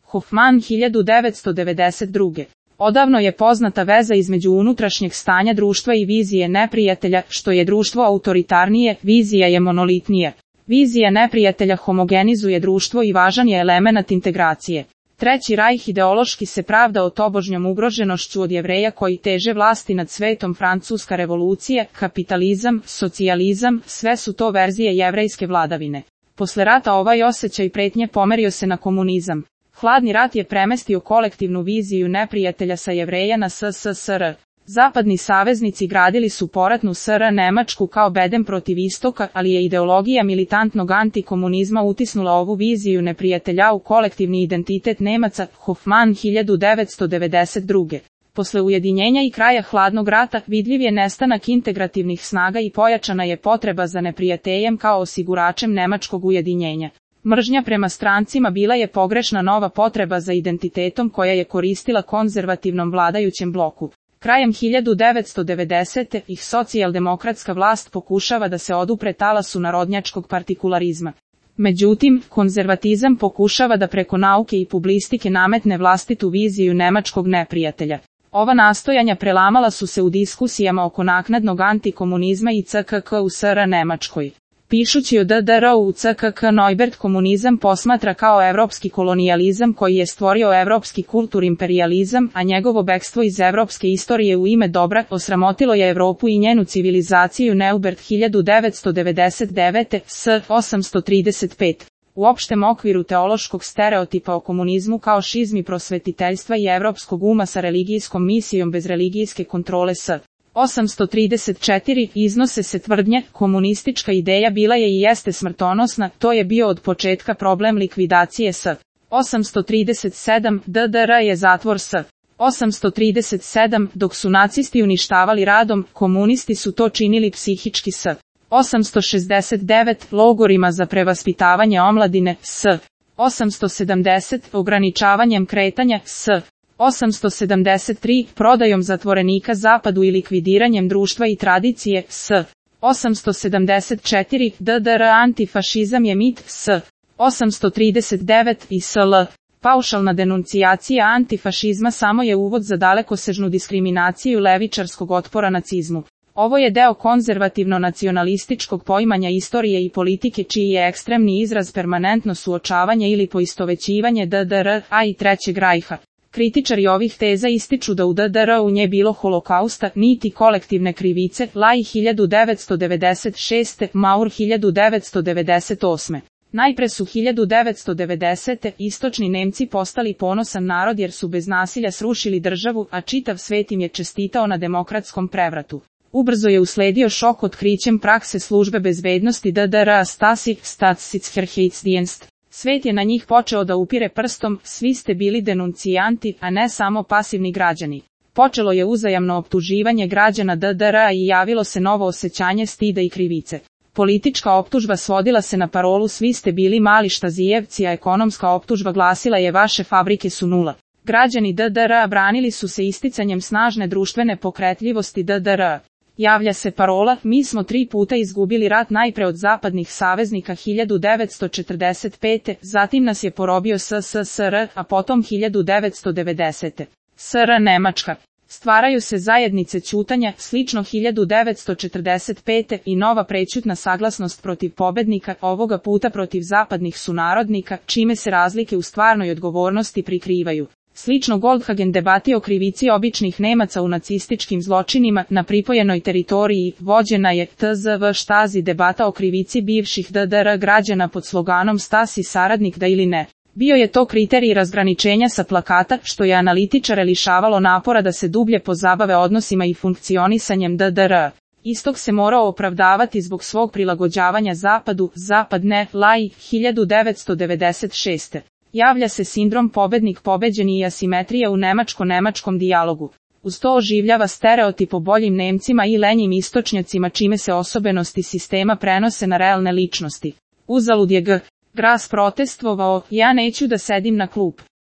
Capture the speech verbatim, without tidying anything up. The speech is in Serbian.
Hoffman hiljadu devetsto devedeset druge. Odavno je poznata veza između unutrašnjeg stanja društva i vizije neprijatelja, što je društvo autoritarnije, vizija je monolitnija. Vizija neprijatelja homogenizuje društvo i važan je elemenat integracije. Treći rajh ideološki se pravdao tobožnjom ugroženošću od Jevreja koji teže vlasti nad svetom. Francuska revolucija, kapitalizam, socijalizam, sve su to verzije jevrejske vladavine. Posle rata ovaj osjećaj pretnje pomerio se na komunizam. Hladni rat je premestio kolektivnu viziju neprijatelja sa Jevreja na S S S R. Zapadni saveznici gradili su poratnu S R Nemačku kao bedem protiv istoka, ali je ideologija militantnog antikomunizma utisnula ovu viziju neprijatelja u kolektivni identitet Nemaca. Hoffman hiljadu devetsto devedeset druge. Posle ujedinjenja i kraja hladnog rata vidljiv je nestanak integrativnih snaga i pojačana je potreba za neprijateljem kao osiguračem nemačkog ujedinjenja. Mržnja prema strancima bila je pogrešna nova potreba za identitetom koja je koristila konzervativnom vladajućem bloku. Krajem hiljadu devetsto devedesete ih socijaldemokratska vlast pokušava da se odupre talasu narodnjačkog partikularizma. Međutim, konzervatizam pokušava da preko nauke i publicistike nametne vlastitu viziju nemačkog neprijatelja. Ova nastojanja prelamala su se u diskusijama oko naknadnog antikomunizma i C K K u S R Nemačkoj. Pišući o D D R u C K K Neubert komunizam posmatra kao evropski kolonijalizam koji je stvorio evropski kulturimperializam, a njegovo bekstvo iz evropske istorije u ime dobra osramotilo je Evropu i njenu civilizaciju. Neubert hiljadu devetsto devedeset devete S osamsto trideset pet. U opštem okviru teološkog stereotipa o komunizmu kao šizmi prosvetiteljstva i evropskog uma sa religijskom misijom bez religijske kontrole S. osamsto trideset četiri iznose se tvrdnje, komunistička ideja bila je i jeste smrtonosna, to je bio od početka problem likvidacije S. osamsto trideset sedam D D R je zatvor S. osamsto trideset sedam, dok su nacisti uništavali radom, komunisti su to činili psihički S. osamsto šezdeset devet logorima za prevaspitavanje omladine S. osamsto sedamdeset ograničavanjem kretanja S. osamsto sedamdeset tri prodajom zatvorenika zapadu i likvidiranjem društva i tradicije S. osamsto sedamdeset četiri D D R antifašizam je mit S. osamsto trideset devet i S L. Paušalna denuncijacija antifašizma samo je uvod za dalekosežnu diskriminaciju levičarskog otpora nacizmu. Ovo je deo konzervativno-nacionalističkog poimanja istorije i politike čiji je ekstremni izraz permanentno suočavanje ili poistovećivanje D D R A i Trećeg rajha. Kritičari ovih teza ističu da u D D R-u nje bilo holokausta, niti kolektivne krivice. Lai hiljadu devetsto devedeset šeste, Maur hiljadu devetsto devedeset osme. Najpre su hiljadu devetsto devedesete istočni Nemci postali ponosan narod jer su bez nasilja srušili državu, a čitav svet im je čestitao na demokratskom prevratu. Ubrzo je usledio šok otkrićem prakse službe bezbednosti D D R-a Stasi, Staatssicherheitsdienst. Svet je na njih počeo da upire prstom, svi ste bili denuncijanti, a ne samo pasivni građani. Počelo je uzajamno optuživanje građana D D R-a i javilo se novo osjećanje stida i krivice. Politička optužba svodila se na parolu svi ste bili mali štazijevci, a ekonomska optužba glasila je vaše fabrike su nula. Građani D D R-a branili su se isticanjem snažne društvene pokretljivosti D D R-a. Javlja se parola, mi smo tri puta izgubili rat najpre od zapadnih saveznika hiljadu devetsto četrdeset pete, zatim nas je porobio S S S R, a potom hiljadu devetsto devedesete. S R Nemačka. Stvaraju se zajednice ćutanja, slično hiljadu devetsto četrdeset pete i nova prećutna saglasnost protiv pobednika, ovoga puta protiv zapadnih sunarodnika, čime se razlike u stvarnoj odgovornosti prikrivaju. Slično Goldhagen debati o krivici običnih Nemaca u nacističkim zločinima na pripojenoj teritoriji, vođena je T Z V Štazi debata o krivici bivših D D R građana pod sloganom Stasi saradnik da ili ne. Bio je to kriterij razgraničenja sa plakata, što je analitičare lišavalo napora da se dublje pozabave odnosima i funkcionisanjem D D R. Istok se morao opravdavati zbog svog prilagođavanja zapadu, zapad ne, Lai, hiljadu devetsto devedeset šeste. Javlja se sindrom pobednik pobeđeni i asimetrija u nemačko-nemačkom dijalogu. Uz to oživljava stereotip o boljim Nemcima i lenjim istočnjacima čime se osobenosti sistema prenose na realne ličnosti. Uzalud je G. Gras protestvovao, ja neću da sedim na klup.